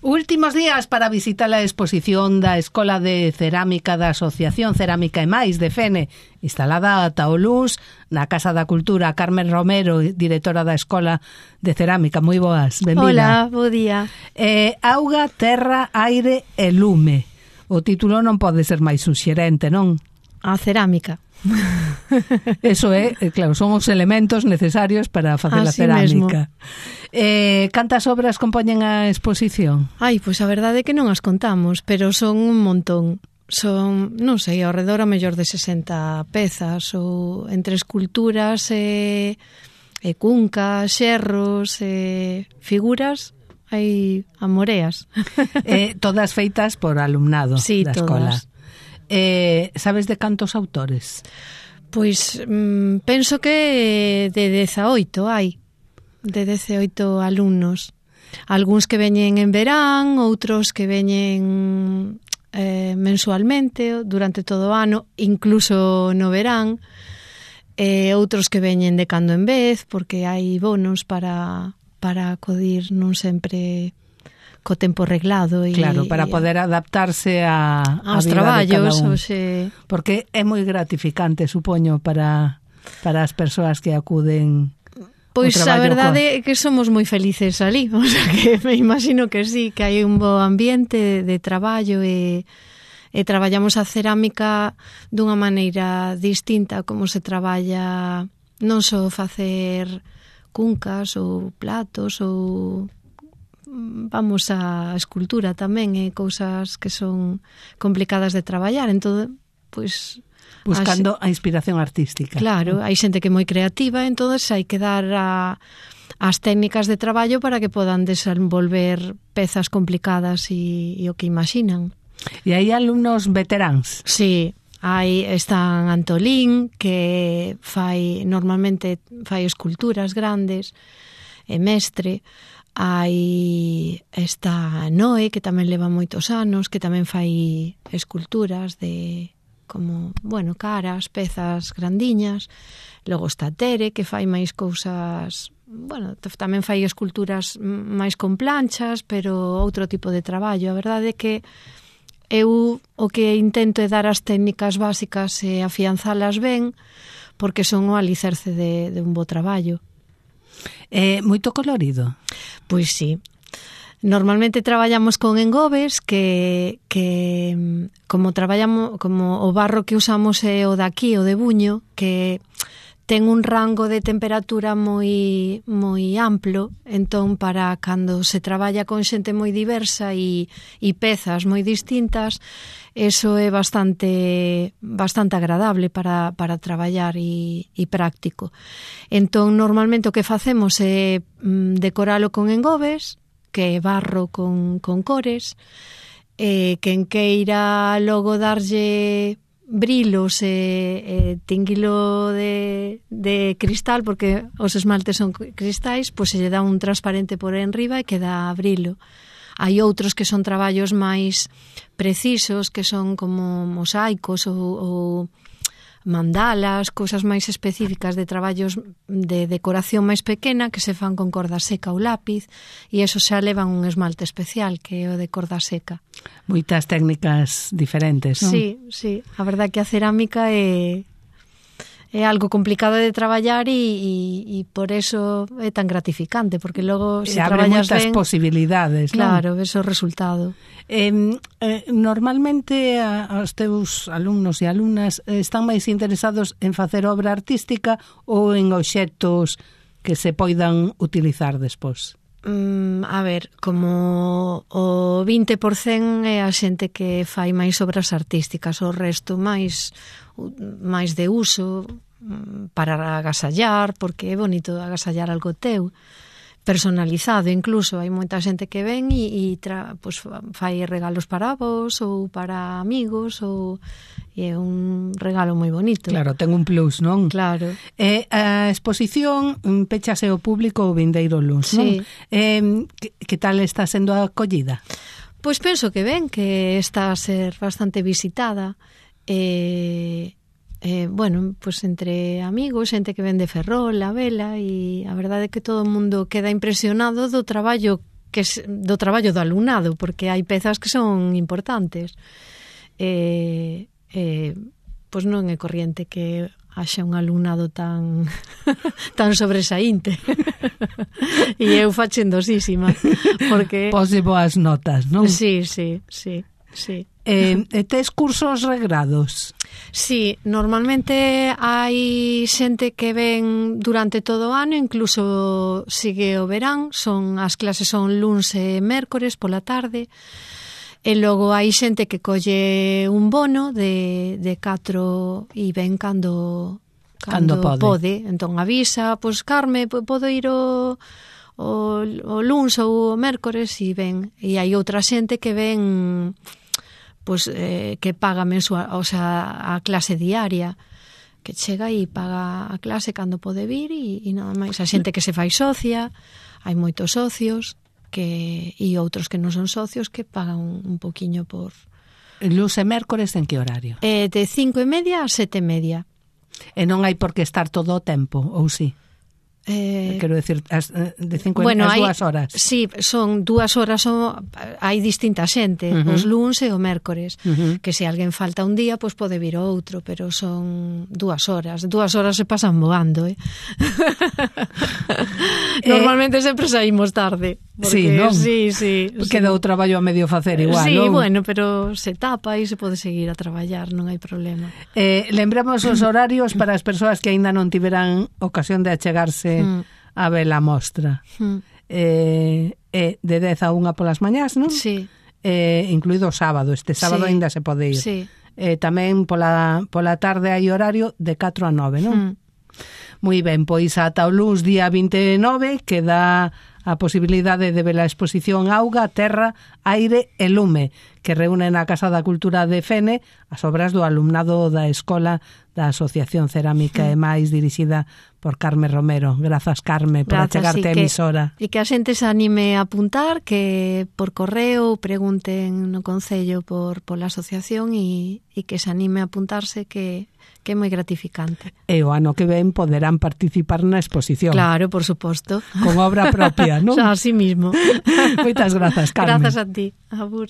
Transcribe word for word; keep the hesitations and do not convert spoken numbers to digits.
Últimos días para visitar a exposición da Escola de Cerámica da Asociación Cerámica e Máis de Fene, instalada ata o luns na Casa da Cultura. Carmen Romero, directora da Escola de Cerámica. Moi boas, benvida. Hola, bo día. Eh, auga, terra, aire e lume. O título non pode ser máis suxerente, non? A cerámica. Eso é, claro, son os elementos necesarios para facer a cerámica. Eh, cantas obras compoñen a exposición? Ai, pois a verdade é que non as contamos, pero son un montón. Son, non sei, ao redor a mellor de sesenta pezas, ou entre esculturas e, e cuncas, xerros e figuras, hai amoreas. Eh, todas feitas por alumnado sí, da escola. Todas. Eh, sabes de cantos autores? Pois mm, penso que de dezaoito hai, de dezaoito alumnos. Algúns que veñen en verán, outros que veñen eh, mensualmente, durante todo o ano, incluso no verán, e outros que veñen de cando en vez, porque hai bonos para, para acudir non sempre co tempo reglado e, claro, para poder adaptarse a, aos a vida traballos, de cada un. Oxe... Porque é moi gratificante, supoño, para, para as persoas que acuden. Pois a verdade é que somos moi felices ali, o sea que me imagino que sí, que hai un bo ambiente de traballo e, e traballamos a cerámica dunha maneira distinta como se traballa non só facer cuncas ou platos ou vamos a escultura tamén e cousas que son complicadas de traballar, entón, pois buscando a inspiración artística. Claro, hai xente que é moi creativa, entón hai que dar a, as técnicas de traballo para que podan desenvolver pezas complicadas e, e o que imaxinan. E hai alumnos veteráns? Sí, hai, están Antolín, que fai normalmente fai esculturas grandes, e mestre. Hai esta Noe, que tamén leva moitos anos, que tamén fai esculturas de como, bueno, caras, pezas grandiñas. Logo está Tere, que fai máis cousas, bueno, tamén fai esculturas máis con planchas, pero outro tipo de traballo. A verdade é que eu o que intento é dar as técnicas básicas e afianzalas ben, porque son o alicerce de, de un bo traballo. É moito colorido? Pois sí. Normalmente traballamos con engobes que, que como traballamos como o barro que usamos é o daqui, o de buño, que ten un rango de temperatura moi moi amplo, entón para cando se traballa con xente moi diversa e, e pezas moi distintas, eso é bastante bastante agradable para, para traballar e, e práctico. Entón, normalmente o que facemos é mm, decoralo con engobes, que é barro con, con cores, e quen queira logo darlle brilos e, e tinguilo de, de cristal, porque os esmaltes son cristais, pois se lle dá un transparente por enriba e queda brilo. Hai outros que son traballos máis precisos, que son como mosaicos ou, ou mandalas, cousas máis específicas de traballos de decoración máis pequena que se fan con corda seca ou lápiz, e eso xa levan un esmalte especial que é o de corda seca. Moitas técnicas diferentes, non? Sí, sí, a verdade que a cerámica é é algo complicado de traballar e, e, e por eso é tan gratificante, porque logo se abre traballas moitas ben, posibilidades, non? Claro, ves o resultado. Eh, eh, normalmente a, os teus alumnos e alumnas están máis interesados en facer obra artística ou en obxectos que se poidan utilizar despois? Mm, a ver, como o vinte por cento é a xente que fai máis obras artísticas, o resto máis máis de uso para agasallar, porque é bonito agasallar algo teu, personalizado incluso. Hai moita xente que ven e, e tra, pues, fai regalos para vos ou para amigos, ou e é un regalo moi bonito. Claro, ten un plus, non? Claro. Eh, a exposición pechase ao público o vindeiro luns, non? Sí. Eh, que, que tal está sendo a acollida? Pois penso que ben, que está a ser bastante visitada. E... Eh, bueno, pues entre amigos, xente que vende Ferrol, a vela, e a verdade é que todo o mundo queda impresionado do traballo que es do traballo do alumnado, porque hai pezas que son importantes. Eh, eh, pois non é corriente que haxa un alumnado tan tan sobresaínte. E eu fachendosísima, porque pose boas notas, non? Sí, sí, sí, sí. Eh, tes cursos regrados? Sí, normalmente hai xente que ven durante todo o ano, incluso sigue o verán, son as clases son luns e mércores pola tarde. E logo hai xente que colle un bono de, de catro e ven cando, cando, cando pode. pode. Entón avisa, pois Carme, podo ir o, o, o luns ou o mércores e ven. E hai outra xente que ven pois, eh, que paga mensual, o sea, a clase diaria, que chega e paga a clase cando pode vir e, e nada máis. A xente que se fai socia, hai moitos socios, que e outros que non son socios que pagan un, un poquiño por... Luns e mércores en que horario? Eh, de cinco e media a sete e media. E non hai por que estar todo o tempo, ou sí? Eh, Quero decir, as, de cinco bueno, as hai, dúas horas. Sí, son dúas horas, son, hai distinta xente, uh -huh. os luns e o mércores, uh -huh. que se alguén falta un día, pois pode vir outro, pero son dúas horas. Dúas horas se pasan voando, eh? Normalmente eh, sempre saímos tarde. Porque, sí, non? Sí, sí. Queda sí. o traballo a medio facer igual, sí, non? Sí, bueno, pero se tapa e se pode seguir a traballar, non hai problema. Eh, lembramos os horarios para as persoas que aínda non tiveran ocasión de achegarse mm. a ver a mostra. Mm. Eh, eh, de dez a unha polas mañás, non? Sí. Eh, incluído o sábado, este sábado sí. aínda se pode ir. Sí. Eh, tamén pola, pola tarde hai horario de catro a nove, non? Mm. Moi ben, pois ata o luns día vinte e nove que dá a posibilidade de ver a exposición Auga, Terra, Aire e Lume, que reúne na Casa da Cultura de Fene as obras do alumnado da Escola da Asociación Cerámica e máis, dirixida por Carme Romero. Grazas, Carme, por Grazas, achegarte a emisora. E que a xente se anime a apuntar, que por correo pregunten no Concello por pola asociación e, e que se anime a apuntarse, que que é moi gratificante. E o ano que ven poderán participar na exposición. Claro, por suposto. Con obra propia, non? Así mismo. Moitas grazas, Carmen. Grazas a ti. Abur.